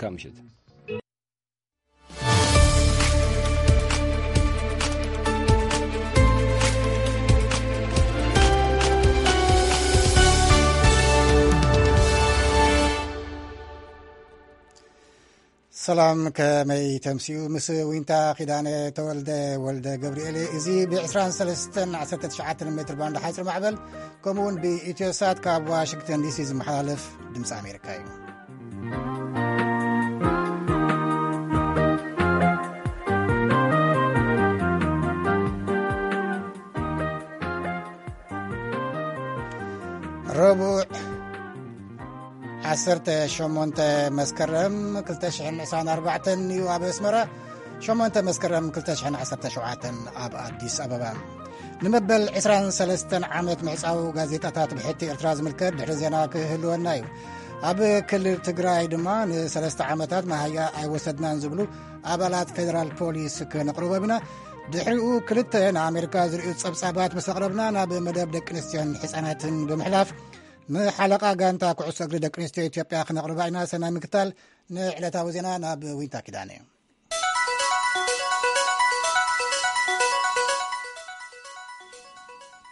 መልካም ምሽት። ሰላም፣ ከመይ ተምስዩ? ምስ ዊንታ ኪዳነ ተወልደ ወልደ ገብርኤል። እዚ ብ ዕስራን ሰለስተን ዓሰርተ ትሽዓተን ሜትር ባንድ ሓፂር ማዕበል፣ ከምኡ እውን ብኢትዮሳት ካብ ዋሽንግተን ዲሲ ዝመሓላለፍ ድምፂ ኣሜሪካ እዩ። ረቡዕ ዓሰርተ ሸሞንተ መስከረም ክልተ ሽሕን ዕስራን ኣርባዕተን እዩ ኣብ ኣስመራ፣ ሸሞንተ መስከረም ክልተ ሽሕን ዓሰርተ ሸውዓተን ኣብ ኣዲስ ኣበባ። ንመበል ዕስራን ሰለስተን ዓመት ምዕጻው ጋዜጣታት ብሕቲ ኤርትራ ዝምልከት ድሕሪ ዜና ክህልወና እዩ። ኣብ ክልል ትግራይ ድማ ንሰለስተ ዓመታት መሃያ ኣይወሰድናን ዝብሉ ኣባላት ፌደራል ፖሊስ ክነቕርቦም ኢና። ድሕሪኡ ክልተ ንኣሜሪካ ዝርእዩ ጸብጻባት ምስ ኣቕረብና፣ ናብ መደብ ደቂ ኣንስትዮን ሕጻናትን ብምሕላፍ፣ ንሓለቓ ጋንታ ኩዕሶ እግሪ ደቂ ኣንስትዮ ኢትዮጵያ ክነቕርባ ኢና። ሰናይ ምክታል። ንዕለታዊ ዜና ናብ ዊንታ ኪዳነ።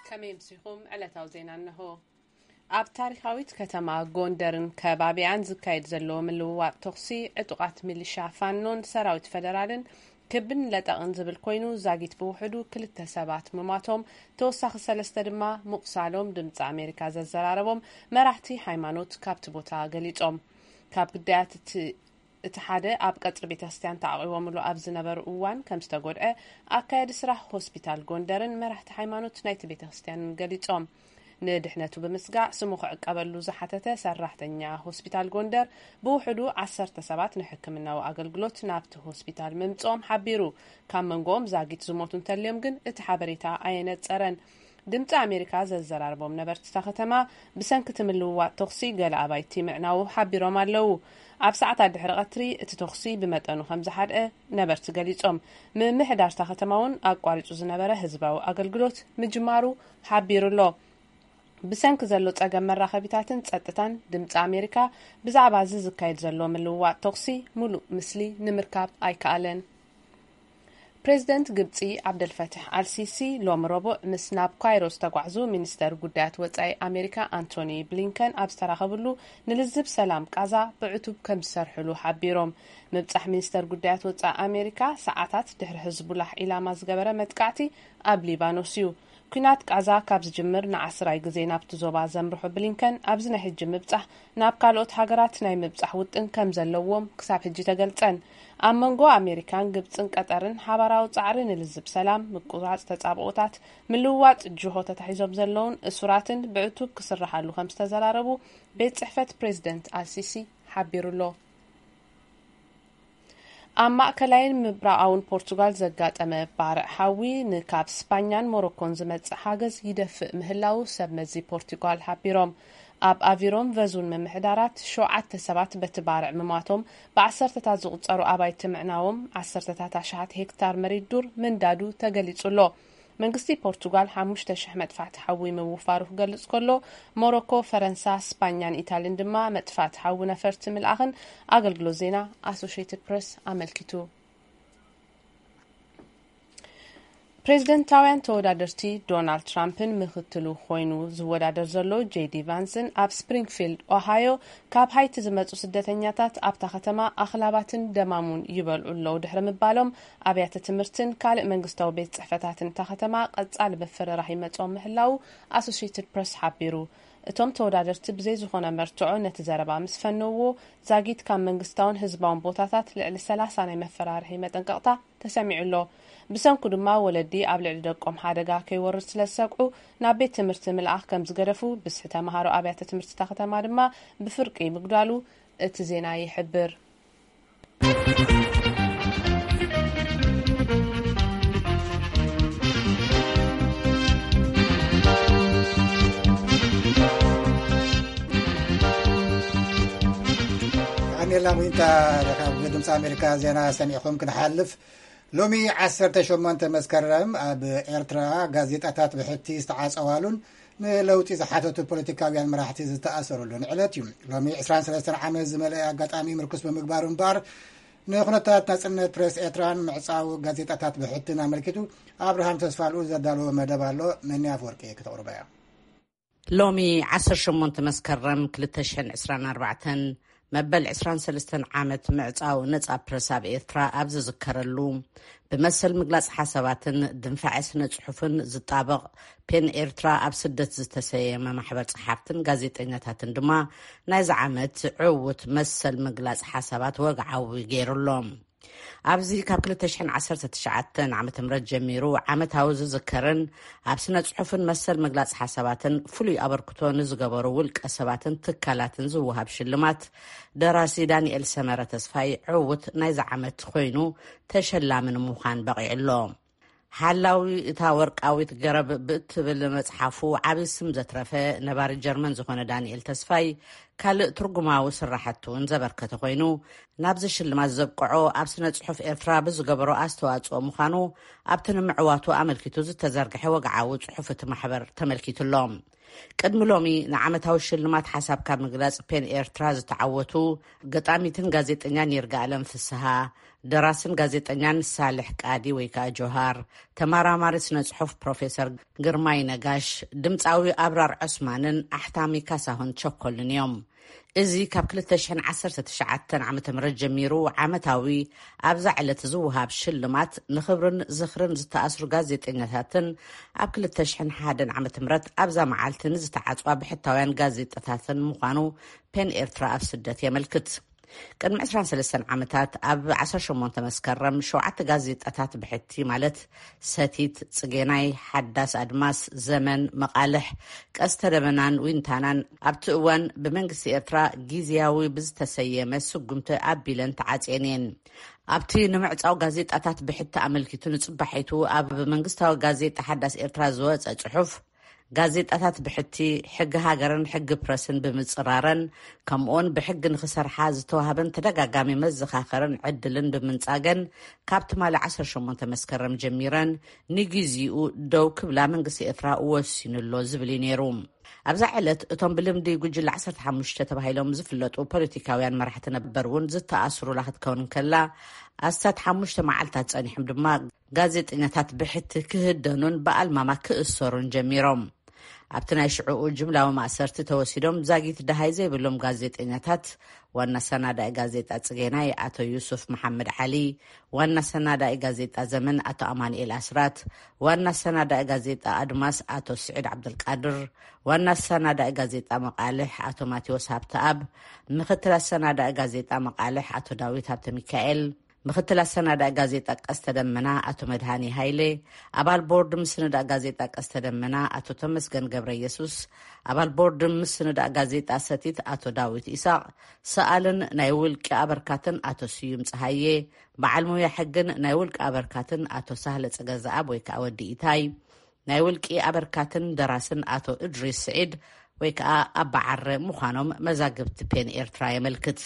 ከመይ ኣምሲኹም? ዕለታዊ ዜና እነሆ። ኣብ ታሪኻዊት ከተማ ጎንደርን ከባቢኣን ዝካየድ ዘሎ ምልውዋጥ ተኹሲ፣ ዕጡቓት ሚሊሻ ፋኖን ሰራዊት ፈደራልን ክብን ለጠቕን ዝብል ኮይኑ፣ ዛጊት ብውሕዱ ክልተ ሰባት ምሟቶም፣ ተወሳኺ ሰለስተ ድማ ምቑሳሎም ድምፂ ኣሜሪካ ዘዘራረቦም መራሕቲ ሃይማኖት ካብቲ ቦታ ገሊጾም። ካብ ግዳያት እቲ እቲ ሓደ ኣብ ቀጽሪ ቤተክርስትያን ተዓቒቦምሉ ኣብ ዝነበሩ እዋን ከም ዝተጎድዐ ኣካያዲ ስራሕ ሆስፒታል ጎንደርን መራሕቲ ሃይማኖት ናይቲ ቤተክርስትያንን ገሊጾም። ንድሕነቱ ብምስጋእ ስሙ ክዕቀበሉ ዝሓተተ ሰራሕተኛ ሆስፒታል ጎንደር፣ ብውሕዱ ዓሰርተ ሰባት ንሕክምናዊ ኣገልግሎት ናብቲ ሆስፒታል ምምጽኦም ሓቢሩ። ካብ መንጎኦም ዛጊት ዝሞቱ እንተልዮም ግን እቲ ሓበሬታ ኣየነጸረን። ድምፂ ኣሜሪካ ዘዘራረቦም ነበርቲ እታ ከተማ፣ ብሰንኪ እቲ ምልውዋጥ ተኹሲ ገለ ኣባይቲ ምዕናዉ ሓቢሮም ኣለዉ። ኣብ ሰዓታት ድሕሪ ቀትሪ እቲ ተኹሲ ብመጠኑ ከም ዝሓድአ ነበርቲ ገሊጾም። ምምሕዳር እታ ከተማ እውን ኣቋሪጹ ዝነበረ ህዝባዊ ኣገልግሎት ምጅማሩ ሓቢሩ ኣሎ። ብሰንኪ ዘሎ ጸገም መራኸቢታትን ጸጥታን፣ ድምፂ ኣሜሪካ ብዛዕባ እዚ ዝካየድ ዘሎ ምልውዋጥ ተኹሲ ምሉእ ምስሊ ንምርካብ ኣይከኣለን። ፕሬዚደንት ግብፂ ዓብደልፈትሕ ኣልሲሲ ሎም ረቡዕ ምስ ናብ ካይሮ ዝተጓዕዙ ሚኒስተር ጉዳያት ወፃኢ ኣሜሪካ ኣንቶኒ ብሊንከን ኣብ ዝተራኸብሉ፣ ንልዝብ ሰላም ቃዛ ብዕቱብ ከም ዝሰርሕሉ ሓቢሮም። ምብፃሕ ሚኒስተር ጉዳያት ወፃኢ ኣሜሪካ ሰዓታት ድሕሪ ሕዝቡላህ ኢላማ ዝገበረ መጥቃዕቲ ኣብ ሊባኖስ እዩ። ኲናት ቃዛ ካብ ዝጅምር ንዓስራይ ግዜ ናብቲ ዞባ ዘምርሑ ብሊንከን፣ ኣብዚ ናይ ሕጂ ምብጻሕ ናብ ካልኦት ሃገራት ናይ ምብጻሕ ውጥን ከም ዘለዎም ክሳብ ሕጂ ተገልጸን። ኣብ መንጎ ኣሜሪካን ግብጽን ቀጠርን ሓባራዊ ጻዕሪ ንልዝብ ሰላም፣ ምቁራጽ ተጻብኦታት፣ ምልውዋጥ ጅሆ ተታሒዞም ዘለውን እሱራትን ብዕቱብ ክስርሓሉ ከም ዝተዘራረቡ ቤት ጽሕፈት ፕሬዚደንት ኣልሲሲ ሓቢሩ ኣሎ። ኣብ ማእከላይን ምብራቓውን ፖርቱጋል ዘጋጠመ ባርዕ ሓዊ፣ ንካብ ስፓኛን ሞሮኮን ዝመጽእ ሓገዝ ይደፍእ ምህላዉ ሰብ መዚ ፖርቱጋል ሓቢሮም። ኣብ ኣቪሮን ቨዙን ምምሕዳራት፣ ሸውዓተ ሰባት በቲ ባርዕ ምማቶም፣ ብዓሰርተታት ዝቑጸሩ ኣባይቲ ምዕናዎም፣ ዓሰርተታት ኣሽሓት ሄክታር መሬት ዱር ምንዳዱ ተገሊጹ ኣሎ። መንግስቲ ፖርቱጋል ሓሙሽተ ሽሕ መጥፋእቲ ሓዊ ምውፋሩ ክገልጽ ከሎ፣ ሞሮኮ፣ ፈረንሳ፣ ስፓኛን ኢታልን ድማ መጥፋእቲ ሓዊ ነፈርቲ ምልኣኽን ኣገልግሎት ዜና ኣሶሼትድ ፕረስ ኣመልኪቱ። ፕሬዝደንታውያን ተወዳደርቲ ዶናልድ ትራምፕን ምክትሉ ኮይኑ ዝወዳደር ዘሎ ጄዲ ቫንስን፣ ኣብ ስፕሪንግፊልድ ኦሃዮ፣ ካብ ሃይቲ ዝመጹ ስደተኛታት ኣብታ ከተማ ኣኽላባትን ደማሙን ይበልዑ ኣለዉ ድሕሪ ምባሎም፣ ኣብያተ ትምህርትን ካልእ መንግስታዊ ቤት ጽሕፈታትን እታ ከተማ ቀጻሊ ምፍርራህ ይመጾም ምህላዉ ኣሶሼትድ ፕረስ ሓቢሩ። እቶም ተወዳደርቲ ብዘይ ዝኾነ መርትዖ ነቲ ዘረባ ምስ ፈነውዎ፣ ዛጊት ካብ መንግስታውን ህዝባውን ቦታታት ልዕሊ ሰላሳ ናይ መፈራርሒ መጠንቀቕታ ተሰሚዑ ኣሎ። ብሰንኩ ድማ ወለዲ ኣብ ልዕሊ ደቆም ሓደጋ ከይወርድ ስለ ዝሰግዑ፣ ናብ ቤት ትምህርቲ ምልኣኽ ከም ዝገደፉ፣ ብዝሒ ተምሃሮ ኣብያተ ትምህርቲ እታ ከተማ ድማ ብፍርቂ ምጉዳሉ እቲ ዜና ይሕብር። ኣሜላ ሙይንታ ካብ ድምፂ ኣሜሪካ ዜና ሰሚዕኹም ክንሓልፍ። ሎሚ ዓሰርተ ሸሞንተ መስከረም ኣብ ኤርትራ ጋዜጣታት ብሕቲ ዝተዓጸዋሉን ንለውጢ ዝሓተቱ ፖለቲካውያን መራሕቲ ዝተኣሰረሉን ዕለት እዩ። ሎሚ ዕስራን ሰለስተን ዓመት ዝመልአ ኣጋጣሚ ምርኩስ ብምግባሩ እምበኣር፣ ንኩነታት ናጽነት ፕሬስ ኤርትራን ምዕጻው ጋዜጣታት ብሕትን ኣመልኪቱ ኣብርሃም ተስፋልኡ ዘዳለወ መደብ ኣሎ። መኒ ኣፈወርቂ ክተቕርቦ እያ። ሎሚ ዓሰርተ ሸሞንተ መስከረም ክልተ ሽሕን ዕስራን ኣርባዕተን መበል ዕስራን ሰለስተን ዓመት ምዕጻው ነጻ ፕረስ ኣብ ኤርትራ ኣብ ዝዝከረሉ፣ ብመሰል ምግላጽ ሓሳባትን ድንፋዐ ስነ ጽሑፍን ዝጣበቕ ፔን ኤርትራ ኣብ ስደት ዝተሰየመ ማሕበር ጸሓፍትን ጋዜጠኛታትን ድማ ናይዚ ዓመት ዕዉት መሰል ምግላጽ ሓሳባት ወግዓዊ ገይሩሎም። ኣብዚ ካብ ክልተ ሽሕን ዓሰርተ ትሽዓተን ዓመተ ምህረት ጀሚሩ ዓመታዊ ዝዝከርን ኣብ ስነ ጽሑፍን መሰል ምግላጽ ሓሳባትን ፍሉይ ኣበርክቶ ንዝገበሩ ውልቀ ሰባትን ትካላትን ዝወሃብ ሽልማት፣ ደራሲ ዳንኤል ሰመረ ተስፋይ ዕዉት ናይዚ ዓመት ኮይኑ ተሸላሚ ንምዃን በቒዑ ኣሎ። ሓላዊ እታ ወርቃዊት ገረብ ብእትብል መጽሓፉ ዓቢ ስም ዘትረፈ ነባሪ ጀርመን ዝኾነ ዳንኤል ተስፋይ፣ ካልእ ትርጉማዊ ስራሕቲ እውን ዘበርከተ ኮይኑ፣ ናብዚ ሽልማት ዘብቅዖ ኣብ ስነ ጽሑፍ ኤርትራ ብዝገበሮ ኣስተዋጽኦ ምዃኑ ኣብቲ ንምዕዋቱ ኣመልኪቱ ዝተዘርግሐ ወግዓዊ ጽሑፍ እቲ ማሕበር ተመልኪቱ ኣሎ። ቅድሚ ሎሚ ንዓመታዊ ሽልማት ሓሳብ ካብ ምግላጽ ፔን ኤርትራ ዝተዓወቱ ገጣሚትን ጋዜጠኛን ይርጋኣለም ፍስሃ፣ ደራስን ጋዜጠኛን ሳልሕ ቃዲ ወይ ከኣ ጆሃር፣ ተመራማሪ ስነ ጽሑፍ ፕሮፌሰር ግርማይ ነጋሽ፣ ድምጻዊ ኣብራር ዑስማንን ኣሕታሚ ካሳሁን ቸኮልን እዮም። እዚ ካብ ክልተ ሽሕን ዓሰርተ ትሽዓተን ዓመተ ምህረት ጀሚሩ ዓመታዊ ኣብዛ ዕለት ዝወሃብ ሽልማት፣ ንኽብርን ዝኽርን ዝተኣስሩ ጋዜጠኛታትን ኣብ ክልተ ሽሕን ሓደን ዓመተ ምህረት ኣብዛ መዓልቲ ንዝተዓጽዋ ብሕታውያን ጋዜጠታትን ምዃኑ ፔን ኤርትራ ኣብ ስደት የመልክት። ቅድሚ ዕስራን ሰለስተን ዓመታት ኣብ ዓሰርተ ሸሞንተ መስከረም ሸውዓተ ጋዜጣታት ብሕቲ፣ ማለት ሰቲት፣ ጽጌናይ፣ ሓዳስ ኣድማስ፣ ዘመን፣ መቓልሕ፣ ቀስተ ደመናን ዊንታናን፣ ኣብቲ እዋን ብመንግስቲ ኤርትራ ግዝያዊ ብዝተሰየመ ስጉምቲ ኣቢለን ተዓጽየን እየን። ኣብቲ ንምዕጻው ጋዜጣታት ብሕቲ ኣመልኪቱ ንጽባሒቱ ኣብ መንግስታዊ ጋዜጣ ሓዳስ ኤርትራ ዝወጸ ጽሑፍ፣ ጋዜጣታት ብሕቲ፣ ሕጊ ሃገርን ሕጊ ፕረስን ብምጽራረን፣ ከምኡውን ብሕጊ ንኽሰርሓ ዝተዋህበን ተደጋጋሚ መዘኻኸርን ዕድልን ብምንጻገን፣ ካብ ትማሊ ዓሰርተ ሸሞንተ መስከረም ጀሚረን ንግዜኡ ደው ክብላ መንግስቲ ኤርትራ ወሲኑ ኣሎ ዝብል እዩ ነይሩ። ኣብዛ ዕለት እቶም ብልምዲ ጉጅለ ዓሰርተ ሓሙሽተ ተባሂሎም ዝፍለጡ ፖለቲካውያን መራሕቲ ነበር እውን ዝተኣስሩላ ክትከውን እንከላ፣ ኣስታት ሓሙሽተ መዓልታት ጸኒሖም ድማ ጋዜጠኛታት ብሕቲ ክህደኑን ብኣልማማ ክእሰሩን ጀሚሮም። ኣብቲ ናይ ሽዑኡ ጅምላዊ ማእሰርቲ ተወሲዶም ዛጊት ደሃይ ዘይብሎም ጋዜጠኛታት፣ ዋና ሰናዳኢ ጋዜጣ ጽጌናይ ኣቶ ዩሱፍ መሓመድ ዓሊ፣ ዋና ሰናዳኢ ጋዜጣ ዘመን ኣቶ ኣማኑኤል ኣስራት፣ ዋና ሰናዳኢ ጋዜጣ ኣድማስ ኣቶ ስዒድ ዓብደልቃድር፣ ዋና ሰናዳኢ ጋዜጣ መቓልሕ ኣቶ ማቴዎስ ሃብተኣብ፣ ምክትል ኣሰናዳኢ ጋዜጣ መቓልሕ ኣቶ ዳዊት ሃብተ ሚካኤል፣ ምክትል ኣሰናዳኢ ጋዜጣ ቀስተ ደመና ኣቶ መድሃኒ ሃይሌ፣ ኣባል ቦርድ ምስንዳእ ጋዜጣ ቀስተ ደመና ኣቶ ተመስገን ገብረ ኢየሱስ፣ ኣባል ቦርድ ምስንዳእ ጋዜጣ ሰቲት ኣቶ ዳዊት ኢሳቕ፣ ሰኣልን ናይ ውልቂ ኣበርካትን ኣቶ ስዩም ጸሃየ፣ በዓል ሙያ ሕግን ናይ ውልቂ ኣበርካትን ኣቶ ሳህለ ጸገዛኣብ ወይ ከኣ ወዲ ኢታይ፣ ናይ ውልቂ ኣበርካትን ደራስን ኣቶ እድሪስ ስዒድ ወይ ከኣ ኣባዓረ ምዃኖም መዛግብቲ ፔን ኤርትራ የመልክት።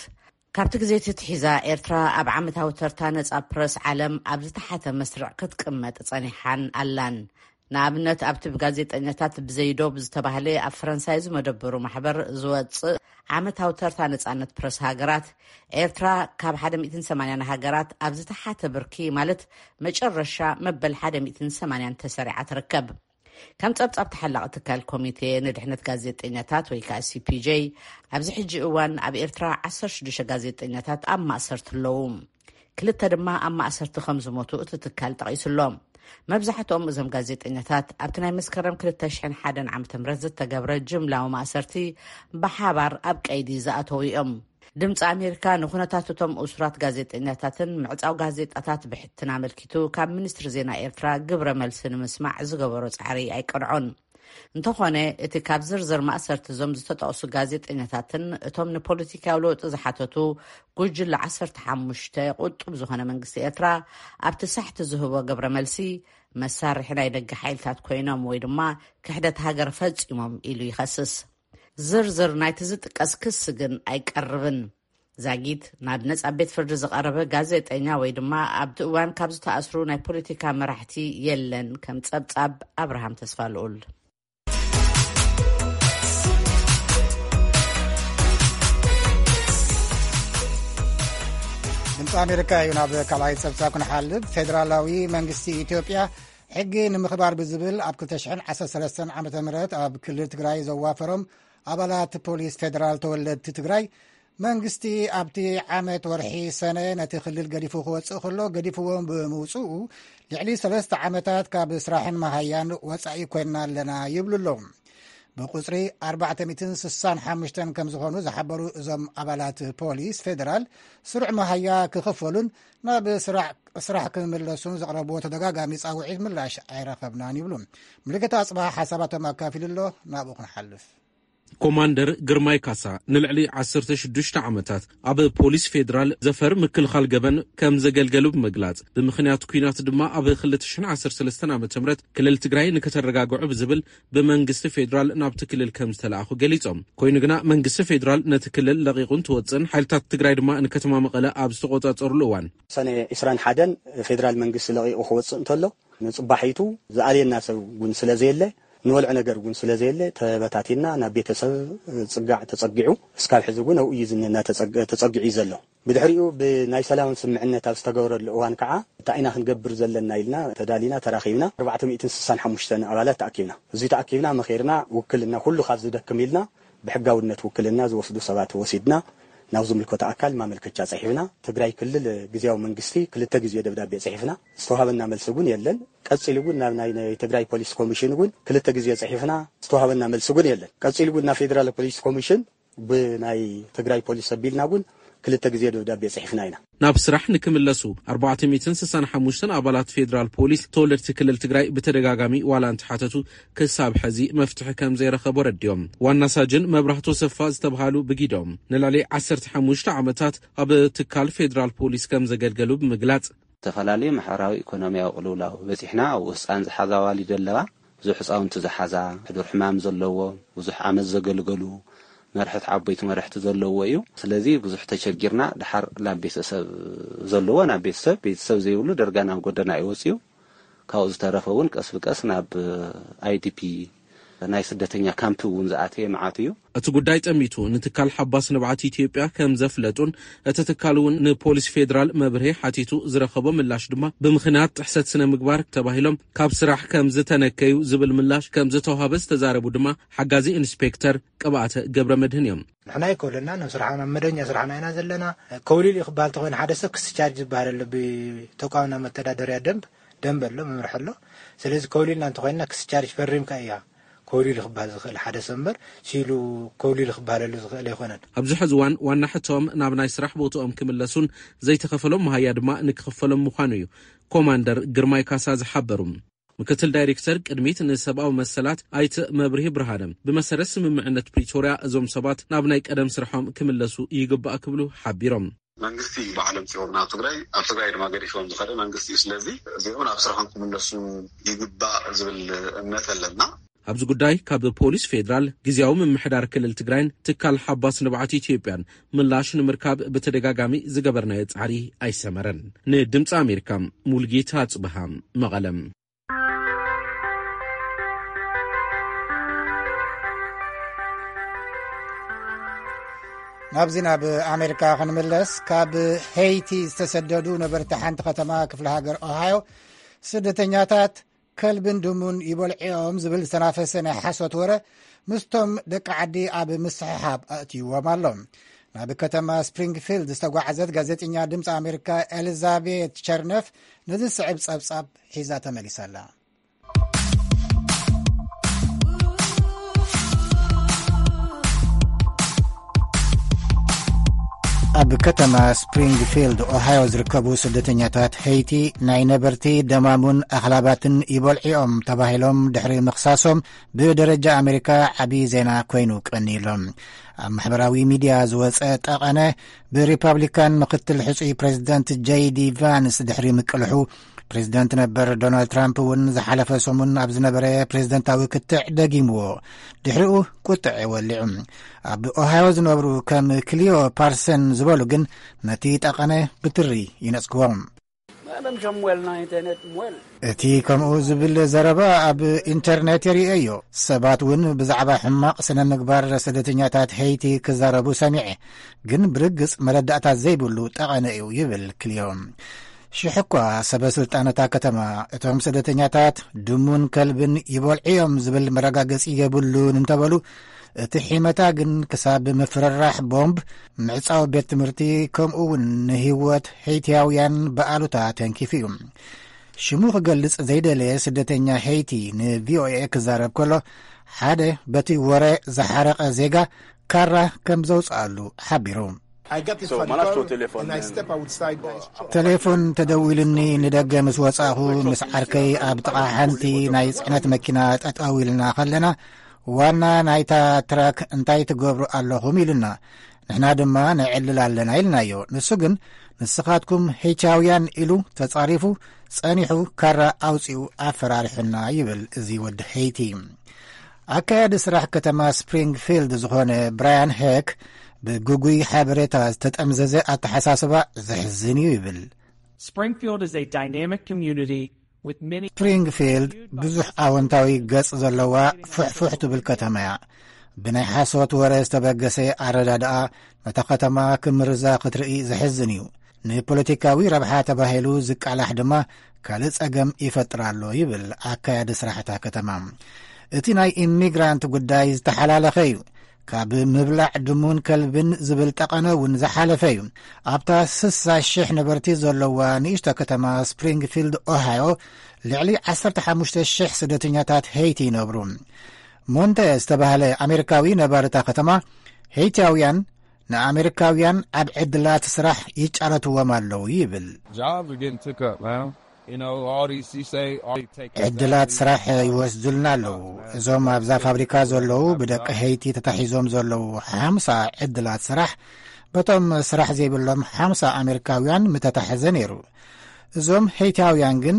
ካብቲ ግዜ ትትሒዛ ኤርትራ ኣብ ዓመታዊ ተርታ ነጻ ፕረስ ዓለም ኣብ ዝተሓተ መስርዕ ክትቅመጥ ጸኒሓን ኣላን። ንኣብነት ኣብቲ ብጋዜጠኛታት ብዘይዶብ ዝተባህለ ኣብ ፈረንሳይ ዝመደበሩ ማሕበር ዝወጽእ ዓመታዊ ተርታ ነጻነት ፕረስ ሃገራት፣ ኤርትራ ካብ ሓደ ሚእትን ሰማንያን ሃገራት ኣብ ዝተሓተ ብርኪ፣ ማለት መጨረሻ መበል ሓደ ሚእትን ሰማንያን ተሰሪዓ ትርከብ። ከም ጸብጻብ ተሓላቒ ትካል ኮሚቴ ንድሕነት ጋዜጠኛታት ወይ ከዓ ሲ ፒ ጄ፣ ኣብዚ ሕጂ እዋን ኣብ ኤርትራ ዓሰርተ ሽዱሽተ ጋዜጠኛታት ኣብ ማእሰርቲ ኣለዉ። ክልተ ድማ ኣብ ማእሰርቲ ከም ዝሞቱ እቲ ትካል ጠቒሱ ኣሎ። መብዛሕትኦም እዞም ጋዜጠኛታት ኣብቲ ናይ መስከረም ክልተ ሽሕን ሓደን ዓመተ ምህረት ዝተገብረ ጅምላዊ ማእሰርቲ ብሓባር ኣብ ቀይዲ ዝኣተዉ እዮም። ድምፂ ኣሜሪካ ንኩነታት እቶም እሱራት ጋዜጠኛታትን ምዕፃው ጋዜጣታት ብሕትን ኣመልኪቱ ካብ ሚኒስትሪ ዜና ኤርትራ ግብረ መልሲ ንምስማዕ ዝገበሮ ጻዕሪ ኣይቀንዖን። እንተኾነ፣ እቲ ካብ ዝርዝር ማእሰርቲ እዞም ዝተጠቕሱ ጋዜጠኛታትን እቶም ንፖለቲካዊ ለውጢ ዝሓተቱ ጉጅለ ዓሰርተ ሓሙሽተ ቁጡብ ዝኾነ መንግስቲ ኤርትራ ኣብቲ ሳሕቲ ዝህቦ ግብረ መልሲ፣ መሳርሒ ናይ ደገ ሓይልታት ኮይኖም ወይ ድማ ክሕደት ሃገር ፈጺሞም ኢሉ ይኸስስ። ዝርዝር ናይቲ ዝጥቀስ ክሲ ግን ኣይቀርብን። ዛጊት ናብ ነጻ ቤት ፍርዲ ዝቐረበ ጋዜጠኛ ወይ ድማ ኣብቲ እዋን ካብ ዝተኣስሩ ናይ ፖለቲካ መራሕቲ የለን፣ ከም ጸብጻብ ኣብርሃም ተስፋ ልኡል። ድምፂ ኣሜሪካ እዩ። ናብ ካልኣይ ፀብፃብ ክንሓልፍ፣ ፌዴራላዊ መንግስቲ ኢትዮጵያ ሕጊ ንምኽባር ብዝብል ኣብ ክልተ ሽሕን ዓሰርተ ሰለስተን ዓመተ ምህረት ኣብ ክልል ትግራይ ዘዋፈሮም ኣባላት ፖሊስ ፌዴራል ተወለድቲ ትግራይ፣ መንግስቲ ኣብቲ ዓመት ወርሒ ሰነ ነቲ ክልል ገዲፉ ክወፅእ ከሎ፣ ገዲፍዎም ብምውፅኡ ልዕሊ ሰለስተ ዓመታት ካብ ስራሕን መሃያን ወፃኢ ኮይንና ኣለና ይብሉ ኣለዉ። ብቁፅሪ ኣርባዕተ ሚእትን ስሳን ሓሙሽተን ከም ዝኾኑ ዝሓበሩ እዞም ኣባላት ፖሊስ ፌዴራል፣ ስሩዕ መሃያ ክኽፈሉን ናብ ስራሕ፣ ስራሕ ክምለሱን ዘቕረብዎ ተደጋጋሚ ፃውዒት ምላሽ ኣይረኸብናን ይብሉ። ምልክት ኣፅባሃ ሓሳባቶም ኣካፊሉ ኣሎ። ናብኡ ክንሓልፍ። ኮማንደር ግርማይ ካሳ ንልዕሊ ዓሰርተ ሽዱሽተ ዓመታት ኣብ ፖሊስ ፌዴራል ዘፈር ምክልኻል ገበን ከም ዘገልገሉ ብምግላጽ፣ ብምኽንያት ኲናት ድማ ኣብ ክልተ ሽሕን ዓሰርተ ሰለስተን ዓመተ ምህረት ክልል ትግራይ ንከተረጋግዑ ብዝብል ብመንግስቲ ፌዴራል ናብቲ ክልል ከም ዝተለኣኹ ገሊጾም። ኮይኑ ግና መንግስቲ ፌዴራል ነቲ ክልል ለቒቑ እንትወጽእን ሓይልታት ትግራይ ድማ ንከተማ መቐለ ኣብ ዝተቖጻጸሩሉ እዋን፣ ሰነ ዕስራን ሓደን ፌዴራል መንግስቲ ለቒቑ ክወጽእ እንተሎ፣ ንጽባሒቱ ዝኣልየና ሰብ እውን ስለ ዘየለ፣ ንበልዖ ነገር እውን ስለ ዘየለ፣ ተበታቲና ናብ ቤተሰብ ጽጋዕ ተጸጊዑ፣ እስካብ ሕዚ እውን ኣብኡ እዩ ዝንና ተጸግ-፣ ተጸጊዑ እዩ ዘሎ። ብድሕሪኡ ብናይ ሰላም ስምዕነት ኣብ ዝተገበረሉ እዋን ከዓ፣ እንታይ ኢና ክንገብር ዘለና ኢልና ተዳሊና ተራኺብና። ኣርባዕተ ሚእትን ስሳን ሓሙሽተን ኣባላት ተኣኪብና። እዚ ተኣኪብና መኺርና፣ ውክልና ኩሉ ካብ ዝደክም ኢልና፣ ብሕጋውነት ውክልና ዝወስዱ ሰባት ወሲድና፣ ናብ ዝምልከቶ ኣካል ማመልከቻ ጽሒፍና። ትግራይ ክልል ግዝያዊ መንግስቲ ክልተ ግዜ ደብዳቤ ጽሒፍና፣ ዝተዋሃበና መልሲ እውን የለን። ቀጺሉ እውን ናብ ናይ፣ ናይ ትግራይ ፖሊስ ኮሚሽን እውን ክልተ ግዜ ጽሒፍና፣ ዝተዋሃበና መልሲ እውን የለን። ቀጺሉ እውን ናብ ፌዴራል ፖሊስ ኮሚሽን ብናይ ትግራይ ፖሊስ ኣቢልና እውን ክልተ ግዜ ደብዳቤ ጽሒፍና ኢና። ናብ ስራሕ ንክምለሱ ኣርባዕተ ሚእትን ስሳን ሓሙሽተን ኣባላት ፌዴራል ፖሊስ ተወለድቲ ክልል ትግራይ ብተደጋጋሚ ዋላ እንትሓተቱ፣ ክሳብ ሕዚ መፍትሒ ከም ዘይረኸቡ ረዲኦም። ዋና ሳጅን መብራህቶ ሰፋ ዝተብሃሉ ብጊዶም፣ ንልዕሊ ዓሰርተ ሓሙሽተ ዓመታት ኣብ ትካል ፌዴራል ፖሊስ ከም ዘገልገሉ ብምግላጽ፣ ዝተፈላለዩ ማሕበራዊ ኢኮኖሚያዊ ቅልውላው በጺሕና፣ ኣብኡ ህፃን ዝሓዛ ኣዋሊድ ኣለዋ፣ ብዙሕ ህፃውንቲ ዝሓዛ፣ ሕዱር ሕማም ዘለዎ፣ ብዙሕ ዓመት ዘገልገሉ፣ መርሕት ዓበይቲ መርሕቲ ዘለዎ እዩ። ስለዚ ብዙሕ ተቸጊርና፣ ድሓር ናብ ቤተሰብ ዘለዎ ናብ ቤተሰብ፣ ቤተሰብ ዘይብሉ ደርጋ ናብ ጎደና እዩ ወፂኡ። ካብኡ ዝተረፈ እውን ቀስ ብቀስ ናብ ኣይዲፒ፣ ናይ ስደተኛ ካምፕ እውን ዝኣተየ መዓት እዩ። እቲ ጉዳይ ጠሚቱ ንትካል ሓባስ ንብዓት ኢትዮጵያ ከም ዘፍለጡን፣ እቲ ትካል እውን ንፖሊስ ፌዴራል መብርሂ ሓቲቱ ዝረኸቦ ምላሽ ድማ፣ ብምኽንያት ጥሕሰት ስነ ምግባር ተባሂሎም ካብ ስራሕ ከም ዝተነከዩ ዝብል ምላሽ ከም ዝተዋሃበ ዝተዛረቡ ድማ ሓጋዚ ኢንስፔክተር ቅብኣተ ገብረ መድህን እዮም። ንሕና ኣይኮለና፣ ናብ ስራሕና፣ መደበኛ ስራሕና ኢና ዘለና። ከውሊል እዩ ክበሃል ተኾይኑ፣ ሓደ ሰብ ክስቻርጅ ዝበሃል ኣሎ፣ ብተቋምና መተዳደሪያ ደንብ፣ ደንብ ኣሎ፣ መምርሒ ኣሎ። ስለዚ ከውሊልና እንተኾይንና፣ ክስቻርጅ ፈሪምካ እያ ከውሊል ክበሃል ዝኽእል ሓደ ሰብ እምበር፣ ሲሉ ከውሊል ክበሃለሉ ዝኽእል ኣይኮነን። ኣብዚ ሕዚ እዋን ዋና ሕቶም ናብ ናይ ስራሕ ቦትኦም ክምለሱን ዘይተኸፈሎም መሃያ ድማ ንክኽፈሎም ምዃኑ እዩ ኮማንደር ግርማይ ካሳ ዝሓበሩ። ምክትል ዳይሬክተር ቅድሚት ንሰብኣዊ መሰላት ኣይተ መብርሂ ብርሃነ፣ ብመሰረት ስምምዕነት ፕሪቶርያ እዞም ሰባት ናብ ናይ ቀደም ስርሖም ክምለሱ ይግባእ ክብሉ ሓቢሮም። መንግስቲ እዩ ባዕሎም ጽዮም ናብ ትግራይ፣ ኣብ ትግራይ ድማ ገዲፎም ዝኸደ መንግስቲ እዩ። ስለዚ እዚኦም ናብ ስራሖም ክምለሱ ይግባእ ዝብል እምነት ኣለና። ኣብዚ ጉዳይ ካብ ፖሊስ ፌዴራል፣ ግዝያዊ ምምሕዳር ክልል ትግራይን ትካል ሓባስ ንብዓት ኢትዮጵያን ምላሽ ንምርካብ ብተደጋጋሚ ዝገበርናዮ ጻዕሪ ኣይሰመረን። ንድምፂ ኣሜሪካ፣ ሙልጌታ ኣጽብሃ፣ መቐለም። ናብዚ ናብ ኣሜሪካ ክንምለስ፣ ካብ ሄይቲ ዝተሰደዱ ነበርቲ ሓንቲ ከተማ ክፍለ ሃገር ኦሃዮ፣ ስደተኛታት ከልብን ድሙን ይበልዕኦም ዝብል ዝተናፈሰ ናይ ሓሶት ወረ ምስቶም ደቂ ዓዲ ኣብ ምስሕሓብ ኣእትይዎም ኣሎ። ናብ ከተማ ስፕሪንግፊልድ ዝተጓዓዘት ጋዜጠኛ ድምፂ ኣሜሪካ ኤሊዛቤት ቸርነፍ ነዚ ዝስዕብ ጸብጻብ ሒዛ ተመሊሳ ኣላ። ኣብ ከተማ ስፕሪንግፊልድ ኦሃዮ ዝርከቡ ስደተኛታት ሄይቲ፣ ናይ ነበርቲ ደማሙን ኣኽላባትን ይበልዕኦም ተባሂሎም ድሕሪ ምኽሳሶም፣ ብደረጃ ኣሜሪካ ዓቢ ዜና ኮይኑ ቀኒሎም። ኣብ ማሕበራዊ ሚድያ ዝወጸ ጠቐነ፣ ብሪፓብሊካን ምክትል ሕጹይ ፕሬዚደንት ጄይ ዲ ቫንስ ድሕሪ ምቅልሑ፣ ፕሬዚደንት ነበር ዶናልድ ትራምፕ እውን ዝሓለፈ ሰሙን ኣብ ዝነበረ ፕሬዚደንታዊ ክትዕ ደጊምዎ። ድሕሪኡ ቁጥዐ ወሊዑ። ኣብ ኦሃዮ ዝነብሩ ከም ክሊዮ ፓርሰን ዝበሉ ግን ነቲ ጠቐነ ብትሪ ይነጽግዎ። Même j'aime moelle dans Internet, moelle. እቲ ከምኡ ዝብል ዘረባ ኣብ ኢንተርኔት የርእየዮ። ሰባት እውን ብዛዕባ ሕማቕ ስነ ምግባር ስደተኛታት ሄይቲ ክዛረቡ ሰሚዐ፣ ግን ብርግጽ መረዳእታ ዘይብሉ ጠቐነ እዩ ይብል ክልዮ። ሽሕ እኳ ሰበ ስልጣን እታ ከተማ እቶም ስደተኛታት ድሙን ከልብን ይበልዑ እዮም ዝብል መረጋገጺ የብሉን እንተበሉ፣ እቲ ሒመታ ግን ክሳብ ምፍርራሕ ቦምብ፣ ምዕጻው ቤት ትምህርቲ፣ ከምኡ እውን ንህይወት ሄይቲያውያን ብኣሉታ ተንኪፉ እዩ። ሽሙ ክገልጽ ዘይደለየ ስደተኛ ሄይቲ ንቪኦኤ ክዛረብ ከሎ፣ ሓደ በቲ ወረ ዝሓረቐ ዜጋ ካራ ከም ዘውጽኣሉ ሓቢሩ። I got this So, phone Manasco call telephone, and I and step outside. ቴሌፎን ተደዊሉኒ፣ ንደገ ምስ ወጻኹ ምስ ዓርከይ ኣብ ጥቓ ሓንቲ ናይ ጽዕነት መኪና ጠጠው ኢልና ከለና፣ ዋና ናይታ ትራክ እንታይ ትገብሩ ኣለኹም ኢሉና። ንሕና ድማ ንዕልል ኣለና ኢልናዮ። ንሱ ግን ንስኻትኩም ሄይቲያውያን ኢሉ ተጻሪፉ፣ ጸኒሑ ካራ ኣውጺኡ ኣፈራሪሑና ይብል እዚ ወዲ ሄይቲ። ኣካያዲ ስራሕ ከተማ ስፕሪንግፊልድ ዝኾነ ብራያን ሄክ ብግጉይ ሓበሬታ ዝተጠምዘዘ ኣተሓሳስባ ዘሕዝን እዩ ይብል። Springfield is a dynamic community with many ስፕሪንግፊልድ ብዙሕ ኣወንታዊ ገጽ ዘለዋ ፍሕፉሕ ትብል ከተማ እያ። ብናይ ሓሶት ወረ ዝተበገሰ ኣረዳድኣ ነታ ከተማ ክምርዛ ክትርኢ ዘሕዝን እዩ። ንፖለቲካዊ ረብሓ ተባሂሉ ዝቃላሕ ድማ ካልእ ጸገም ይፈጥር ኣሎ ይብል ኣካያዲ ስራሕ እታ ከተማ። እቲ ናይ ኢሚግራንት ጉዳይ ዝተሓላለኸ እዩ። ካብ ምብላዕ ድሙን ከልብን ዝብል ጠቐነ እውን ዝሓለፈ እዩ። ኣብታ ስሳ ሽሕ ነበርቲ ዘለዋ ንእሽቶ ከተማ ስፕሪንግፊልድ ኦሃዮ ልዕሊ ዓሰርተ ሓሙሽተ ሽሕ ስደተኛታት ሄይቲ ይነብሩ። ሞንተ ዝተባህለ ኣሜሪካዊ ነባሪ እታ ከተማ፣ ሄይቲያውያን ንኣሜሪካውያን ኣብ ዕድላት ስራሕ ይጫረትዎም ኣለዉ ይብል። Jobs are getting took up, man. You know, all these, you say, all these take ዕድላት ስራሕ ይወስዱልና ኣለዉ። እዞም ኣብዛ ፋብሪካ ዘለዉ ብደቂ ሄይቲ ተታሒዞም ዘለዉ ሓምሳ ዕድላት ስራሕ በቶም ስራሕ ዘይብሎም ሓምሳ ኣሜሪካውያን ምተታሕዘ ነይሩ። እዞም ሄይታውያን ግን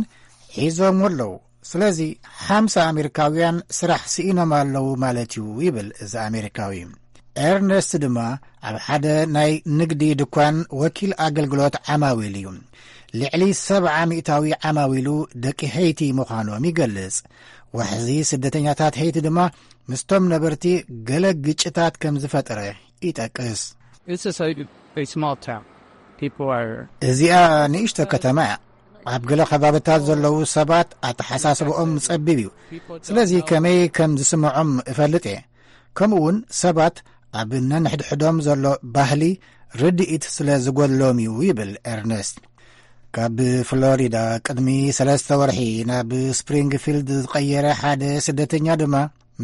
ሒዞም ኣለዉ። ስለዚ ሓምሳ ኣሜሪካውያን ስራሕ ስኢኖም ኣለዉ ማለት እዩ ይብል እዚ ኣሜሪካዊ። ኤርነስት ድማ ኣብ ሓደ ናይ ንግዲ ድኳን ወኪል ኣገልግሎት ዓማዊል እዩ። ልዕሊ ሰብዓ ሚእታዊ ዓማዊሉ ደቂ ሄይቲ ምዃኖም ይገልጽ። ዋሕዚ ስደተኛታት ሄይቲ ድማ ምስቶም ነበርቲ ገለ ግጭታት ከም ዝፈጠረ ይጠቅስ። It's just a, a small town. People are እዚኣ ንእሽቶ ከተማ እያ። ኣብ ገለ ከባብታት ዘለዉ ሰባት ኣተሓሳስብኦም ጸቢብ እዩ። ስለዚ ከመይ ከም ዝስምዖም እፈልጥ እየ። ከምኡ እውን ሰባት ኣብ ነንሕድሕዶም ዘሎ ባህሊ ርድኢት ስለ ዝጎድሎም እዩ ይብል ኤርነስት። ካብ ፍሎሪዳ ቅድሚ ሰለስተ ወርሒ ናብ ስፕሪንግፊልድ ዝቐየረ ሓደ ስደተኛ ድማ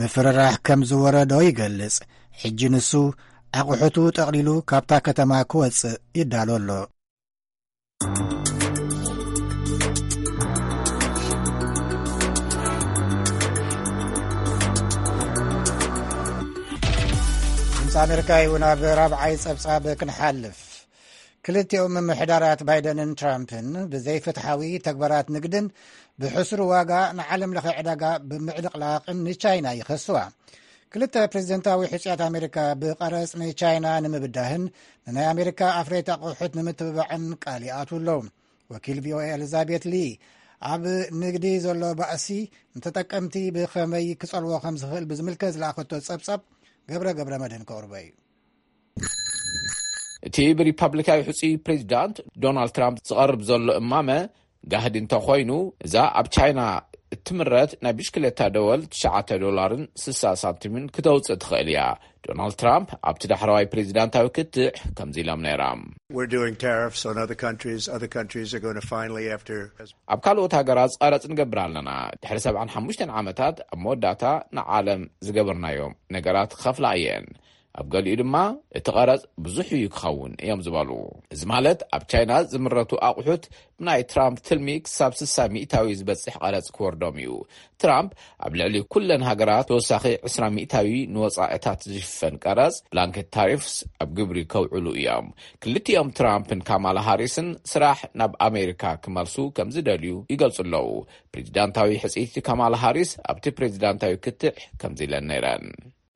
ምፍርራሕ ከም ዝወረዶ ይገልጽ። ሕጂ ንሱ ኣቑሑቱ ጠቕሊሉ ካብታ ከተማ ክወጽእ ይዳሎ ኣሎ። ድምፂ ኣሜሪካ እዩ። ናብ ራብዓይ ጸብጻብ ክንሓልፍ። ክልቲኦም ምምሕዳራት ባይደንን ትራምፕን ብዘይፍትሓዊ ተግባራት ንግድን ብሕሱር ዋጋ ንዓለም ለኸ ዕዳጋ ብምዕልቕላቕን ንቻይና ይኸስዋ። ክልተ ፕሬዝደንታዊ ሕፅያት ኣሜሪካ ብቐረፅ ንቻይና ንምብዳህን ንናይ ኣሜሪካ ኣፍረይቲ ኣቑሑት ንምትብባዕን ቃል ይኣትዉ ኣለዉ። ወኪል ቪኦኤ ኤሊዛቤት ሊ ኣብ ንግዲ ዘሎ ባእሲ ንተጠቀምቲ ብኸመይ ክጸልዎ ከም ዝኽእል ብዝምልከት ዝለኣኸቶ ጸብጻብ ገብረ ገብረ መድህን ከቕርቦ እዩ። እቲ ብሪፓብሊካዊ ሕፁይ ፕሬዚዳንት ዶናልድ ትራምፕ ዝቐርብ ዘሎ እማመ ጋህዲ እንተኾይኑ፣ እዛ ኣብ ቻይና እትምረት ናይ ብሽክሌታ ደወል ትሽዓተ ዶላርን ስሳ ሳንቲምን ክተውፅእ ትኽእል እያ። ዶናልድ ትራምፕ ኣብቲ ዳሕረዋይ ፕሬዚዳንታዊ ክትዕ ከምዚ ኢሎም ነይሮም። We're doing tariffs on other countries. Other countries are going to finally, after ኣብ ካልኦት ሃገራት ቀረፅ ንገብር ኣለና። ድሕሪ ሰብዓን ሓሙሽተን ዓመታት ኣብ መወዳእታ ንዓለም ዝገበርናዮም ነገራት ክኸፍላ እየን። ኣብ ገሊኡ ድማ እቲ ቀረፅ ብዙሕ እዩ ክኸውን እዮም ዝበሉ። እዚ ማለት ኣብ ቻይና ዝምረቱ ኣቑሑት ብናይ ትራምፕ ትልሚ ክሳብ ስሳ ሚእታዊ ዝበፅሕ ቀረፅ ክወርዶም እዩ። ትራምፕ ኣብ ልዕሊ ኩለን ሃገራት ተወሳኺ ዕስራ ሚእታዊ ንወፃኢታት ዝሽፈን ቀረፅ ብላንኬት ታሪፍስ ኣብ ግብሪ ከውዕሉ እዮም። ክልቲኦም ትራምፕን ካማላ ሃሪስን ስራሕ ናብ ኣሜሪካ ክመልሱ ከም ዝደልዩ ይገልፁ ኣለዉ። ፕሬዚዳንታዊ ሕፅይቲ ካማላ ሃሪስ ኣብቲ ፕሬዚዳንታዊ ክትዕ ከምዚ ኢለን ነይረን።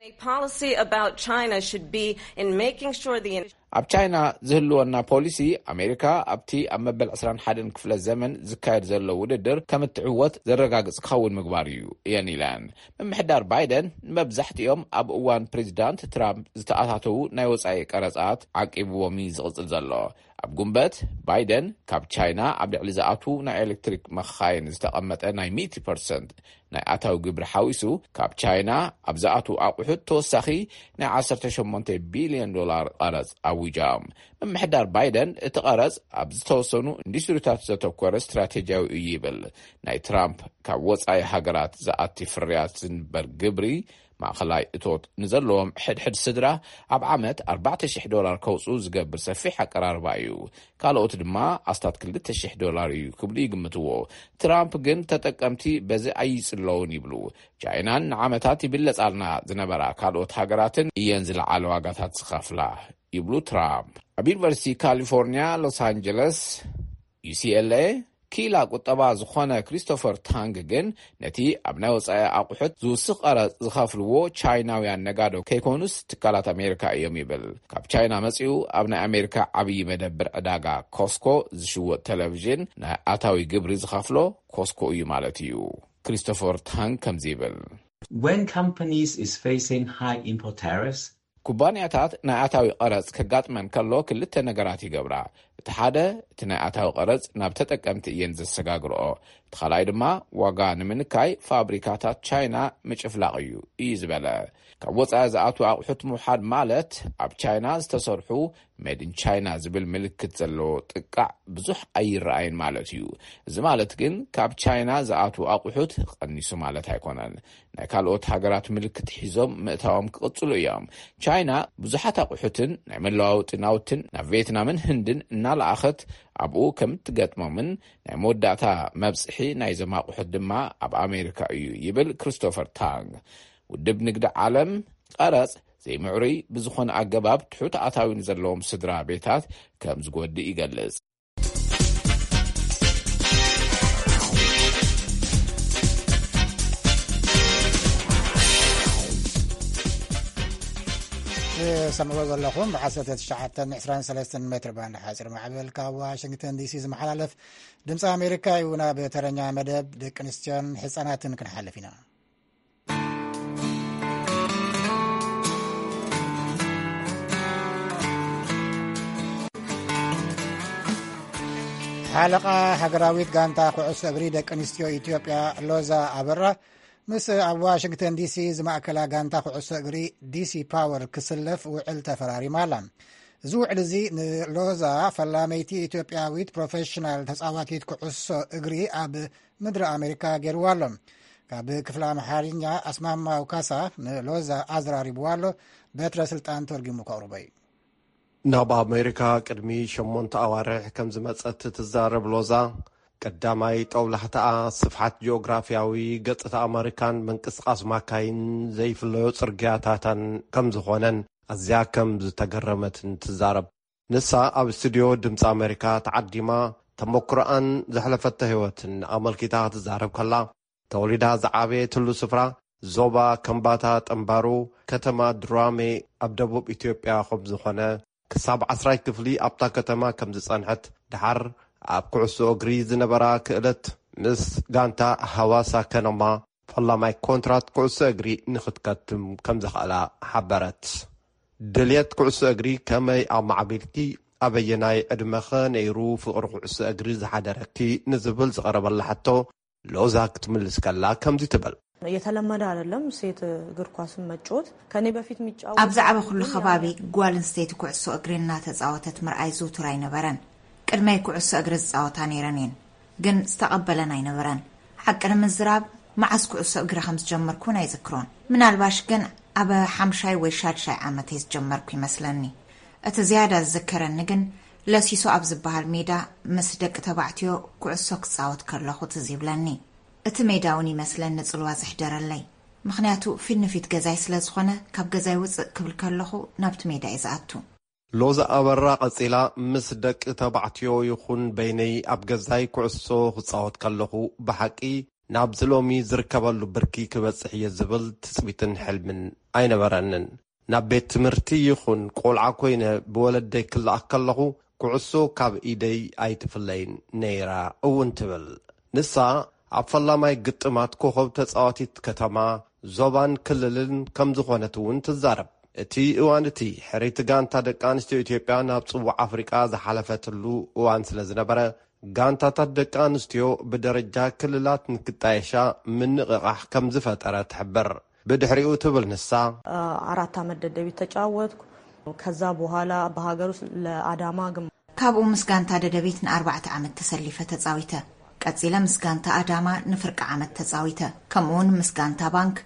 A policy about China should be in making sure the ኣብ ቻይና ዝህልወና ፖሊሲ፣ ኣሜሪካ ኣብቲ ኣብ መበል ዕስራን ሓደን ክፍለ ዘመን ዝካየድ ዘሎ ውድድር ከም እትዕወት ዘረጋግጽ ክኸውን ምግባር እዩ፣ እየን ኢለን። ምምሕዳር ባይደን ንመብዛሕትኦም ኣብ እዋን ፕሬዚዳንት ትራምፕ ዝተኣታተዉ ናይ ወጻኢ ቀረጻት ዓቂብዎም እዩ ዝቕጽል ዘሎ። ኣብ ጉንበት፣ ባይደን ካብ ቻይና ኣብ ልዕሊ ዝኣትዉ ናይ ኤሌክትሪክ መኻይን ዝተቐመጠ ናይ ሚእቲ ፐርሰንት ናይ ኣታዊ ግብሪ ሓዊሱ፣ ካብ ቻይና ኣብ ዝኣትዉ ኣቑሑት ተወሳኺ ናይ ዓሰርተ ሸሞንተ ቢልዮን ዶላር ቀረጽ ኣዊጃም። ምምሕዳር ባይደን፣ እቲ ቀረጽ ኣብ ዝተወሰኑ ኢንዱስትሪታት ዘተኮረ ስትራቴጂያዊ እዩ ይብል። ናይ ትራምፕ ካብ ወጻኢ ሃገራት ዝኣቲ ፍርያት ዝንበር ግብሪ፣ ማእኸላይ እቶት ንዘለዎም ሕድሕድ ስድራ ኣብ ዓመት ኣርባዕተ ሽሕ ዶላር ከውጽኡ ዝገብር ሰፊሕ ኣቀራርባ እዩ። ካልኦት ድማ ኣስታት ክልተ ሽሕ ዶላር እዩ ክብሉ ይግምትዎ። ትራምፕ ግን ተጠቀምቲ በዚ ኣይጽለውን ይብሉ። ቻይናን ንዓመታት ይብለጻልና ዝነበራ ካልኦት ሃገራትን እየን ዝለዓለ ዋጋታት ዝኸፍላ ይብሉ ትራምፕ። ኣብ ዩኒቨርሲቲ ካሊፎርኒያ ሎስ ኣንጀለስ፣ ዩ ሲ ኤል ኤ፣ ኪላ ቁጠባ ዝኾነ ክሪስቶፈር ታንግ ግን፣ ነቲ ኣብ ናይ ወጻኢ ኣቑሑት ዝውስኽ ቀረጽ ዝኸፍልዎ ቻይናውያን ነጋዶ ከይኮኑስ ትካላት ኣሜሪካ እዮም ይብል። ካብ ቻይና መጺኡ ኣብ ናይ ኣሜሪካ ዓብዪ መደብር ዕዳጋ ኮስኮ ዝሽወጥ ቴሌቪዥን ናይ ኣታዊ ግብሪ ዝኸፍሎ ኮስኮ እዩ ማለት እዩ። ክሪስቶፈር ታንግ ከምዚ ይብል። When companies is facing high import tariffs, ኩባንያታት ናይ ኣታዊ ቀረጽ ከጋጥመን ከሎ ክልተ ነገራት ይገብራ። እቲ ሓደ፣ እቲ ናይ ኣታዊ ቀረጽ ናብ ተጠቀምቲ እየን ዘሰጋግርኦ። እቲ ካልኣይ ድማ፣ ዋጋ ንምንካይ ፋብሪካታት ቻይና ምጭፍላቕ እዩ፣ እዩ ዝበለ። ካብ ወጻኢ ዝኣትዉ ኣቑሑት ምውሓድ ማለት፣ ኣብ ቻይና ዝተሰርሑ ሜድ ኢን ቻይና ዝብል ምልክት ዘለዎ ጥቃዕ ብዙሕ ኣይረኣይን ማለት እዩ። እዚ ማለት ግን፣ ካብ ቻይና ዝኣትዉ ኣቑሑት ቀኒሱ ማለት ኣይኮነን። ናይ ካልኦት ሃገራት ምልክት ሒዞም ምእታዎም ክቕጽሉ እዮም። ቻይና ብዙሓት ኣቑሑትን ናይ መለዋወጢ ናውትን ናብ ቪየትናምን ህንድን እናለኣኸት፣ ኣብኡ ከም እትገጥሞምን ናይ መወዳእታ መብጽሒ ናይዞም ኣቑሑት ድማ ኣብ ኣሜሪካ እዩ ይብል ክሪስቶፈር ታንግ። ውድብ ንግዲ ዓለም፣ ቀረጽ ዘይምዕሩይ ብዝኾነ ኣገባብ ትሑት ኣታዊ ንዘለዎም ስድራ ቤታት ከም ዝጎድእ ይገልጽ። ትሰምዕዎ ዘለኹም ብ19 23 ሜትር ባንድ ሓፂር ማዕበል ካብ ዋሽንግተን ዲሲ ዝመሓላለፍ ድምፂ ኣሜሪካ እዩ። ናብ ተረኛ መደብ ደቂ ኣንስትዮን ህፃናትን ክንሓልፍ ኢና። ሓለቓ ሃገራዊት ጋንታ ኩዕሶ እግሪ ደቂ ኣንስትዮ ኢትዮጵያ ሎዛ ኣበራ ምስ ኣብ ዋሽንግተን ዲሲ ዝማእከላ ጋንታ ኩዕሶ እግሪ ዲሲ ፓወር ክስለፍ ውዕል ተፈራሪማ ኣላ። እዚ ውዕል እዚ ንሎዛ ፈላመይቲ ኢትዮጵያዊት ፕሮፌሽናል ተጻዋቲት ኩዕሶ እግሪ ኣብ ምድሪ ኣሜሪካ ገይርዋ ኣሎ። ካብ ክፍሊ ኣምሓርኛ ኣስማማው ካሳ ንሎዛ ኣዘራሪብዋ ኣሎ። በትረ ስልጣን ተርጊሙ ከቕርቦ እዩ። ናብ ኣሜሪካ ቅድሚ ሸሞንተ ኣዋርሕ ከም ዝመጸት ትዛረብ ሎዛ፣ ቀዳማይ ጠውላሕታኣ ስፍሓት ጂኦግራፍያዊ ገጽታ ኣመሪካን ምንቅስቓስ ማካይን ዘይፍለዮ ጽርግያታታን ከም ዝኾነን ኣዝያ ከም ዝተገረመትን ትዛረብ። ንሳ ኣብ ስቱድዮ ድምፂ ኣመሪካ ተዓዲማ ተመክሮኣን ዘሕለፈቶ ህይወትን ኣመልኪታ ክትዛረብ ከላ፣ ተወሊዳ ዝዓበየትሉ ስፍራ ዞባ ከምባታ ጠምባሩ፣ ከተማ ድራሜ ኣብ ደቡብ ኢትዮጵያ ከም ዝኾነ፣ ክሳብ ዓስራይ ክፍሊ ኣብታ ከተማ ከም ዝጸንሐት፣ ደሓር ኣብ ኩዕሶ እግሪ ዝነበራ ክእለት ምስ ጋንታ ሃዋሳ ከነማ ፈላማይ ኮንትራት ኩዕሶ እግሪ ንኽትከትም ከም ዘኽኣላ ሓበረት። ድልየት ኩዕሶ እግሪ ከመይ ኣማዕቢልኪ? ኣበየናይ ዕድመኸ ነይሩ ፍቕሪ ኩዕሶ እግሪ ዝሓደረኪ? ንዝብል ዝቐረበላ ሕቶ ሎዛ ክትምልስ ከላ ከምዚ ትብል። የተለመደ አይደለም ሴት እግር ኳስን መጫወት። ከኔ በፊት የሚጫወቱ ኣብ ዝዓበኹሉ ከባቢ ጓል ኣንስተይቲ ኩዕሶ እግሪ እናተጻወተት ምርኣይ ዝውቱር ኣይነበረን። ቅድመይ ኩዕሶ እግሪ ዝጻወታ ነይረን እየን፣ ግን ዝተቐበለን ኣይነበረን። ሓቂ ንምዝራብ፣ መዓስ ኩዕሶ እግሪ ከም ዝጀመርኩ እውን ኣይዝክሮን። ምናልባሽ ግን ኣብ ሓምሻይ ወይ ሻድሻይ ዓመተይ ዝጀመርኩ ይመስለኒ። እቲ ዝያዳ ዝዝከረኒ ግን ለሲሶ ኣብ ዝበሃል ሜዳ ምስ ደቂ ተባዕትዮ ኩዕሶ ክጻወት ከለኹ ትዝ ይብለኒ። እቲ ሜዳ እውን ይመስለኒ ጽልዋ ዘሕደረለይ፣ ምኽንያቱ ፊት ንፊት ገዛይ ስለ ዝኾነ፣ ካብ ገዛይ ውጽእ ክብል ከለኹ ናብቲ ሜዳ እየ ዝኣቱ። ሎዛ ኣበራ ቀጺላ፣ ምስ ደቂ ተባዕትዮ ይኹን በይነይ ኣብ ገዛይ ኩዕሶ ክጻወት ከለኹ፣ ብሓቂ ናብዚ ሎሚ ዝርከበሉ ብርኪ ክበጽሕ እየ ዝብል ትጽቢትን ሕልምን ኣይነበረንን። ናብ ቤት ትምህርቲ ይኹን ቆልዓ ኮይነ ብወለደይ ክለኣኽ ከለኹ፣ ኩዕሶ ካብ ኢደይ ኣይትፍለይን ነይራ እውን ትብል። ንሳ ኣብ ፈላማይ ግጥማት ኮኸብ ተጻዋቲት ከተማ፣ ዞባን ክልልን ከም ዝኾነት እውን ትዛረብ። እቲ እዋን እቲ፣ ሕርይቲ ጋንታ ደቂ ኣንስትዮ ኢትዮጵያ ናብ ጽዋዕ ኣፍሪቃ ዝሓለፈትሉ እዋን ስለ ዝነበረ፣ ጋንታታት ደቂ ኣንስትዮ ብደረጃ ክልላት ንክጣየሻ ምንቕቓሕ ከም ዝፈጠረ ትሕብር። ብድሕሪኡ ትብል ንሳ፣ አራት ዓመት ደደቢት ተጫወትኩ። ከዛ በኋላ በሀገር ውስጥ ለአዳማ ግም ካብኡ ምስ ጋንታ ደደቢት ንኣርባዕተ ዓመት ተሰሊፈ ተጻዊተ። ቀጺለ ምስ ጋንታ ኣዳማ ንፍርቂ ዓመት ተጻዊተ። ከምኡውን ምስ ጋንታ ባንክ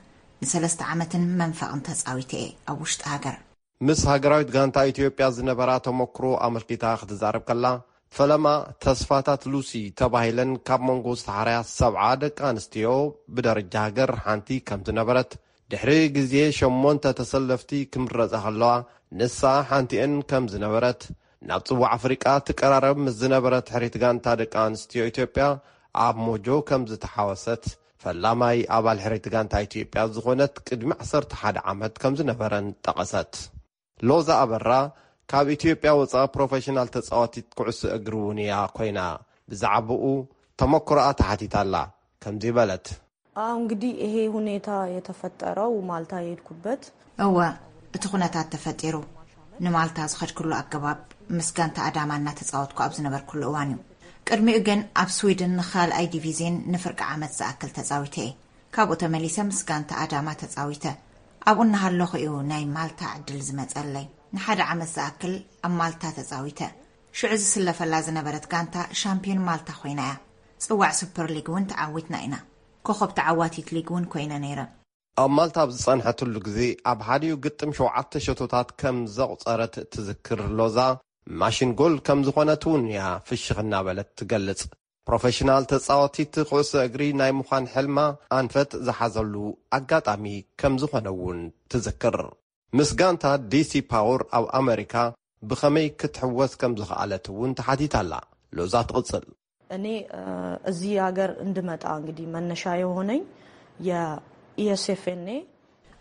ንሰለስተ ዓመትን መንፈቕን ተጻዊተ እየ ኣብ ውሽጢ ሃገር። ምስ ሃገራዊት ጋንታ ኢትዮጵያ ዝነበራ ተመክሮ ኣመልኪታ ክትዛረብ ከላ፣ ፈለማ ተስፋታት ሉሲ ተባሂለን ካብ መንጎ ዝተሓርያ ሰብዓ ደቂ ኣንስትዮ ብደረጃ ሃገር ሓንቲ ከም ዝነበረት፣ ድሕሪ ግዜ ሸሞንተ ተሰለፍቲ ክምረጻ ከለዋ፣ ንሳ ሓንቲኤን ከም ዝነበረት፣ ናብ ጽዋዕ ኣፍሪቃ ትቀራረብ ምስ ዝነበረት ሕሪት ጋንታ ደቂ ኣንስትዮ ኢትዮጵያ ኣብ ሞጆ ከም ዝተሓወሰት፣ ፈላማይ ኣባል ሕሪት ጋንታ ኢትዮጵያ ዝኾነት ቅድሚ ዓሰርተ ሓደ ዓመት ከም ዝነበረን ጠቐሰት። ሎዛ ኣበራ ካብ ኢትዮጵያ ወጻ ፕሮፌሽናል ተጻዋቲት ኩዕሶ እግሪ እውን እያ ኮይና፣ ብዛዕባኡ ተመክሮኣ ተሓቲታላ። ከምዚ በለት። አዎ፣ እንግዲህ ይሄ ሁኔታ የተፈጠረው ማልታ የሄድኩበት እወ፣ እቲ ኩነታት ተፈጢሩ ንማልታ ዝኸድክሉ ኣገባብ ምስ ጋንታ ኣዳማ እናተጻወትኩ ኣብ ዝነበርኩሉ እዋን እዩ። ቅድሚኡ ግን ኣብ ስዊድን ንኻልኣይ ዲቪዝዮን ንፍርቂ ዓመት ዝኣክል ተጻዊተ እየ። ካብኡ ተመሊሰ ምስ ጋንታ ኣዳማ ተጻዊተ። ኣብኡ እናሃለኹ እዩ ናይ ማልታ ዕድል ዝመጸለይ። ንሓደ ዓመት ዝኣክል ኣብ ማልታ ተጻዊተ። ሽዑ ዝስለፈላ ዝነበረት ጋንታ ሻምፒዮን ማልታ ኮይና እያ። ጽዋዕ ሱፐር ሊግ እውን ተዓዊትና ኢና። ኮኸብ ተዓዋቲት ሊግ እውን ኮይነ ነይረ። ኣብ ማልታ ኣብ ዝጸንሐትሉ ግዜ፣ ኣብ ሓዲኡ ግጥም ሸውዓተ ሸቶታት ከም ዘቑጸረት ትዝክር ሎዛ፣ ማሽን ጎል ከም ዝኾነት እውን እያ ፍሽኽ እናበለት ትገልጽ። ፕሮፌሽናል ተጻዋቲት ኩዕሶ እግሪ ናይ ምዃን ሕልማ ኣንፈት ዝሓዘሉ ኣጋጣሚ ከም ዝኾነ እውን ትዝክር። ምስ ጋንታ ዲሲ ፓወር ኣብ ኣመሪካ ብኸመይ ክትሕወስ ከም ዝኸኣለት እውን ተሓቲታላ። ሎዛ ትቕጽል። እኔ እዚህ ሀገር እንድመጣ እንግዲህ መነሻ የሆነኝ የኢኤስኤፍኤንኤ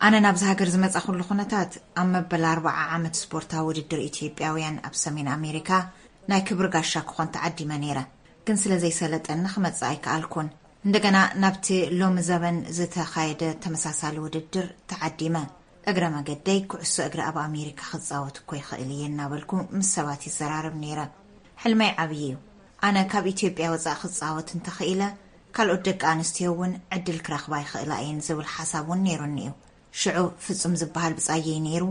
ኣነ ናብዚ ሃገር ዝመጻኹሉ ኩነታት፣ ኣብ መበል ኣርብዓ ዓመት ስፖርታዊ ውድድር ኢትዮጵያውያን ኣብ ሰሜን ኣሜሪካ ናይ ክብሪ ጋሻ ክኾን ተዓዲመ ነይረ። ግን ስለ ዘይሰለጠኒ ክመጽእ ኣይከኣልኩን። እንደገና ናብቲ ሎሚ ዘበን ዝተኻየደ ተመሳሳሊ ውድድር ተዓዲመ። እግረ መገደይ ኩዕሶ እግሪ ኣብ ኣሜሪካ ክጻወት እኮ ይኽእል እየ እናበልኩ ምስ ሰባት ይዘራረብ ነይረ። ሕልመይ ዓብዪ እዩ። ኣነ ካብ ኢትዮጵያ ወጻእ ክጻወት እንተኽኢለ፣ ካልኦት ደቂ ኣንስትዮ እውን ዕድል ክረኽባ ይኽእላ እየን ዝብል ሓሳብ እውን ነይሩኒ እዩ። ሽዑ ፍጹም ዝበሃል ብጻየይ ነይሩ።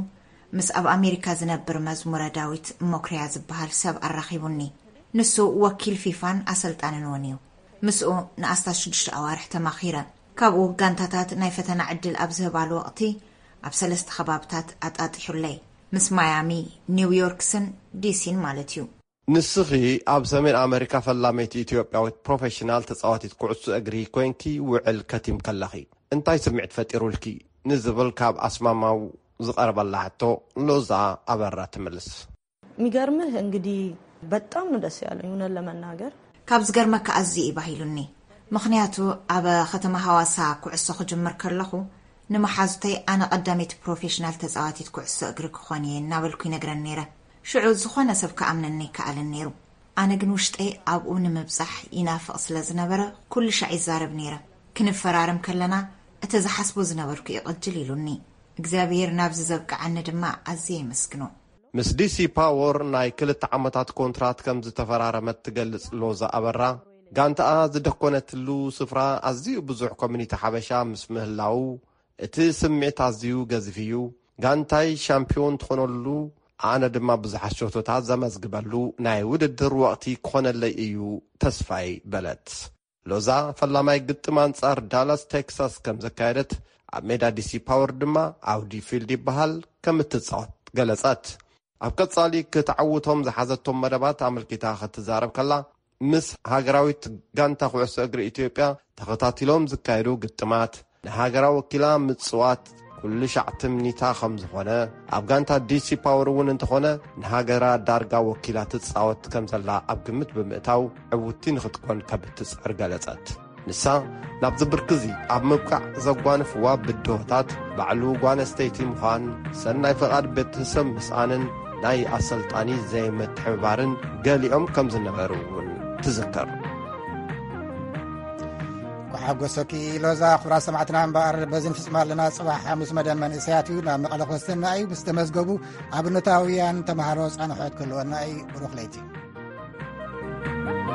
ምስ ኣብ ኣሜሪካ ዝነብር መዝሙረ ዳዊት ሞክርያ ዝበሃል ሰብ ኣራኺቡኒ። ንሱ ወኪል ፊፋን ኣሰልጣንን እውን እዩ። ምስኡ ንኣስታት ሽዱሽተ ኣዋርሕ ተማኺረ። ካብኡ ጋንታታት ናይ ፈተና ዕድል ኣብ ዝህባሉ ወቕቲ ኣብ ሰለስተ ከባብታት ኣጣጢሑለይ። ምስ ማያሚ፣ ኒውዮርክስን ዲሲን ማለት እዩ። ንስኺ ኣብ ሰሜን ኣመሪካ ፈላመይቲ ኢትዮጵያዊት ፕሮፌሽናል ተጻዋቲት ኩዕሶ እግሪ ኮይንኪ ውዕል ከቲምኪ ኣለኺ፣ እንታይ ስምዒት ፈጢሩልኪ? ንዝብል ካብ ኣስማማው ዝቐረበላ ሕቶ ሎዛ ኣበራ ትምልስ። የሚገርምህ እንግዲህ በጣም ነው ደስ ያለኝ እውነት ለመናገር። ካብ ዝገርመካ ኣዝዩ እዩ ባሂሉኒ። ምኽንያቱ ኣብ ከተማ ሃዋሳ ኩዕሶ ክጅምር ከለኹ፣ ንመሓዙተይ ኣነ ቀዳመይቲ ፕሮፌሽናል ተጻዋቲት ኩዕሶ እግሪ ክኾን እየ እናበልኩ ይነግረን ነይረ። ሽዑ ዝኾነ ሰብ ክኣምነኒ ኣይከኣለን ነይሩ። ኣነ ግን ውሽጠይ ኣብኡ ንምብጻሕ ይናፍቕ ስለ ዝነበረ፣ ኩሉ ሻዕ ይዛረብ ነይረ። ክንፈራረም ከለና፣ እቲ ዝሓስቦ ዝነበርኩ እዩ ቅጅል ኢሉኒ። እግዚኣብሔር ናብዚ ዘብቅዓኒ ድማ ኣዝየ የመስግኖ። ምስ ዲሲ ፓወር ናይ ክልተ ዓመታት ኮንትራት ከም ዝተፈራረመት ትገልጽ ሎዛ ኣበራ፣ ጋንታኣ ዝደኮነትሉ ስፍራ ኣዝዩ ብዙሕ ኮሚኒቲ ሓበሻ ምስ ምህላዉ፣ እቲ ስምዒት ኣዝዩ ገዚፍ እዩ። ጋንታይ ሻምፒዮን ትኾነሉ፣ ኣነ ድማ ብዙሓት ሸቶታት ዘመዝግበሉ ናይ ውድድር ወቕቲ ክኾነለይ እዩ ተስፋይ በለት። ሎዛ ፈላማይ ግጥም ኣንጻር ዳላስ ቴክሳስ ከም ዘካየደት፣ ኣብ ሜዳ ዲሲ ፓወር ድማ ኣውዲ ፊልድ ይበሃል ከም እትጻወት ገለጸት። ኣብ ቀጻሊ ክትዓውቶም ዝሓዘቶም መደባት ኣመልኪታ ክትዛረብ ከላ፣ ምስ ሃገራዊት ጋንታ ኩዕሶ እግሪ ኢትዮጵያ ተኸታቲሎም ዝካየዱ ግጥማት፣ ንሃገራ ወኪላ ምጽዋት ኩሉ ሻዕ ትምኒታ ከም ዝኾነ፣ ኣብ ጋንታ ዲሲ ፓወር እውን እንተኾነ ንሃገራ ዳርጋ ወኪላ ትጻወት ከም ዘላ ኣብ ግምት ብምእታው ዕውቲ ንኽትኮን ከም እትጽዕር ገለጸት። ንሳ ናብዚ ብርኪ እዚ ኣብ ምብቃዕ ዘጓነፍዋ ብድሆታት ባዕሉ ጓል ኣንስተይቲ ምዃን፣ ሰናይ ፍቓድ ቤተሰብ ምስኣንን ናይ ኣሰልጣኒ ዘይምትሕብባርን ገሊኦም ከም ዝነበሩ እውን ትዝከር። ኳሓጎሰኪ ሎዛ። ክቡራት ሰማዕትና እምበኣር በዚ ንፍጽማ ኣለና። ጽባሕ ሓሙስ መደብ መንእሰያት እዩ። ናብ መቐለ ክወስደና እዩ። ምስ ተመዝገቡ ኣብነታውያን ተምሃሮ ጻንሖት ክህልወና እዩ። ብሩኽ ለይቲ።